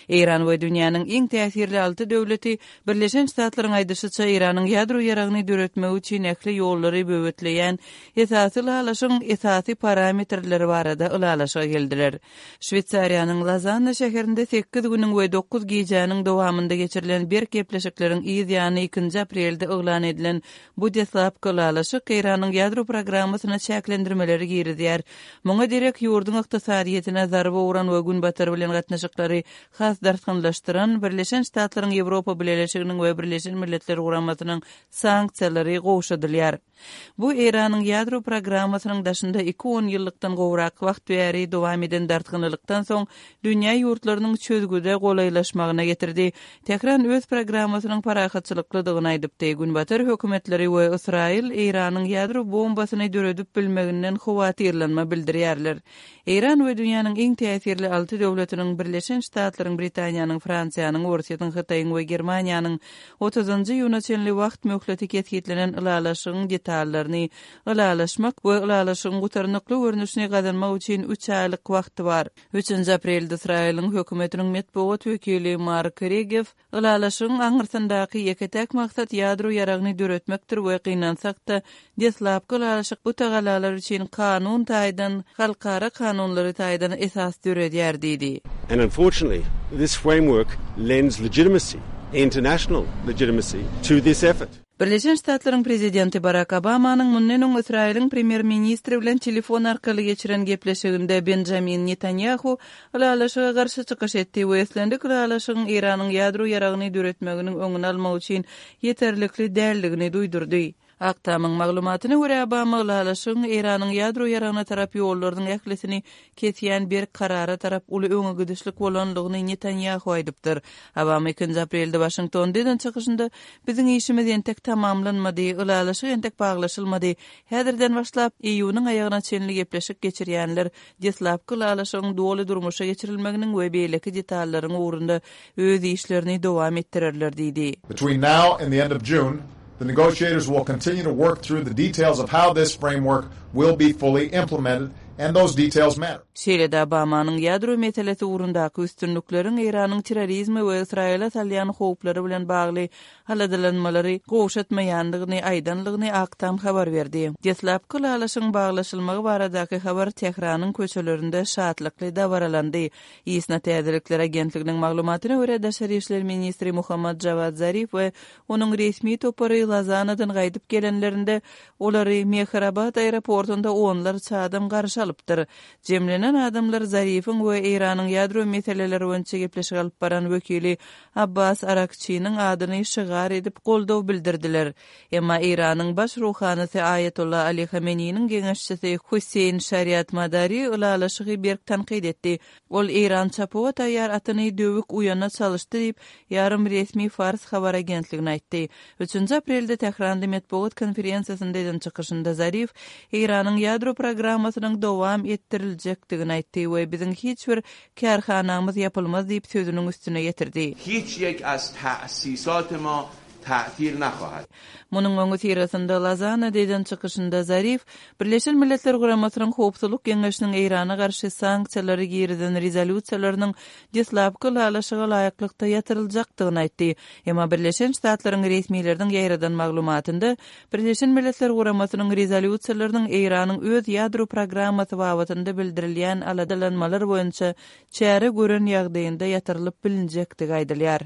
Eýran we dünýäniň iň täsirli alty döwleti, Birleşen Ştatlaryň aýdyşyça, Eýranyň ýadro ýaragyny döretmegi üçin ähli ýollary böwetleýän esasy ylalaşygyň esasy parametrleri barada ylalaşyga geldiler. Şweýsariýanyň Lozanna şäherinde sekiz günüň we dokuz gijäniň dowamynda geçirilen berk gepleşikleriň yz ýany ikinji aprelde yglan edilen bu deslapky ylalaşyk Eýranyň ýadro programmasyna çäklendirmeleri girizýär. Muňa derek ýurduň ykdysadyýetine zarba uran we Günbatar bilen gatnaşyklary has dartgynlaşdyran Birleşen Ştatlaryň Ýewropa Bileleşiginiň we Birleşen Milletler Guramasynyň sanksiýalary gowşadylýar. Bu Eýranyň ýadro programmasynyň daşynda iki onýyllykdan gowrak wagt bäri dowam eden dartgynlylykdan soň dünýä ýurtlarynyň çözgüde golaýlaşmagyna getirdi. Tähran öz programmasynyň parahatçylyklydygyny aýdypdy. Günbatar hökümetleri we Ysraýyl Eýranyň ýadro bombasyny döredip bilmeginden howatyrlanma bildirýärler. Eýran we dünýäniň iň täsirli alty döwletiniň, Birleşen Ştatlaryň, Britaniýanyň, Fransiýanyň, Orsýetiň, Hytaýyň we Germaniýanyň otuzynjy iýuna çenli wagt möhleti kesgitlenen ylalaşygyň detallaryny ylalaşmak we ylalaşygyň gutarnykly görnüşini gazanmak üçin üç aýlyk wagty bar. Üçünji aprelde Ysraýylyň hökümetiniň metbugat wekili Mark Regew Ylalaşygyň aňyrsyndaky ýeke-täk maksat ýadro ýaragyny döretmekdir we gynansak-da, deslapky ylalaşyk bu tagallalar üçin kanun taýdan, halkara kanunlary taýdan esas döredýär diýdi. And unfortunately, this framework lends legitimacy, international legitimacy, to this effort. Birleşen Ştatlaryň prezidenti Barak Obamanyň mundan öň Ysraýylyň premýer-ministri bilen telefon arkaly geçiren gepleşiginde Benjamin Netanýahu ylalaşyga garşy çykyş etdi we islendik ylalaşygyň Eýranyň ýadro ýaragyny döretmeginiň öňüni almak üçin ýeterlikli däldigini duýdurdy. Ak Tamyň maglumatyna görä, Obama ylalaşygyň Eýranyň ýadro ýaragyna tarap ýollarynyň ählisini kesýän berk karara tarap uly öňe gidişlik bolandygyny Netanýahu aýdypdyr. Obama ikinji aprelde Waşingtonda eden çykyşynda, Biziň işimiz entek tamamlanmady, ylalaşyk entek baglaşylmady. Häzirden başlap, iýunyň aýagyna çenli gepleşik geçirýänler deslapky ylalaşygyň doly durmuşa geçirilmeginiň we beýleki detallaryň ugrunda öz işlerini dowam etdirerler diýdi. Between now and the end of June, the negotiators will continue to work through the details of how this framework will be fully implemented and those details matter. Şeýle-de Obamanyň ýadro meselesi ugrundaky üstünlikleriň Eýranyň terrorizme we Ysraýyla salýan howplary bilen bagly aladalanmalary gowşatmaýandygyny aýdanlygyny Ak Tam habar berdi. Deslapky ylalaşygyň baglaşylmagy baradaky habar Tähranyň köçelerinde şatlykly dabaralandy. ISNA täzelikler agentliginiň maglumatyna görä, daşary işler ministri Muhammad Jawad Zarif we Onuň resmi topary Lozannadan gaýdyp gelenlerinde, olary Mehrabad aeroportunda onlarça adam garşy alypdyr. Jemlenen adamlar Zarifiň we Eýranyň ýadro meseleleri boýunça gepleşik alyp baran wekili Abbas Arakçiniň adyny şygar edip goldaw bildirdiler. Emma Eýranyň baş ruhanysy Aýatolla Ali Hameneýiniň geňeşçisi Husseýn Şariatmadari ylalaşygy berk tankyt etdi. Ol Eýran çapuwa taýýar atyny döwük uýana çalyşdy diýip, ýarym resmi Fars habar agentligine aýtdy. Üçünji aprelde Tähranda metbugat konferensiýasynda eden çykyşynda Zarif Eýranyň ýadro programmasynyň dowam etdiriljekdigini aýtdy we biziň hiç bir kärhanamyz ýapylmaz diýip sözüniň üstüne ýetirdi. Hiç ýek az ta'sisat ma ta'til nahahat. Munuň öňüsyrasynda Lozannada eden çykyşynda Zarif Birleşen Milletler Guramasynyň Howpsuzlyk Geňeşiniň Eýrana garşy sanksiýalary girizen rezolýusiýalarynyň deslapky ylalaşyga laýyklykda ýatyryljakdygyny aýtdy. Emma Birleşen Ştatlaryň resmileriniň ýaýradan maglumatynda Birleşen Milletler Guramasynyň rezolýusiýalarynyň Eýranyň öz ýadro programmasy babatynda bildirilýän aladalanmalar boýunça çäre gören ýagdaýynda ýatyrylyp bilinjekdigi aýdylýar.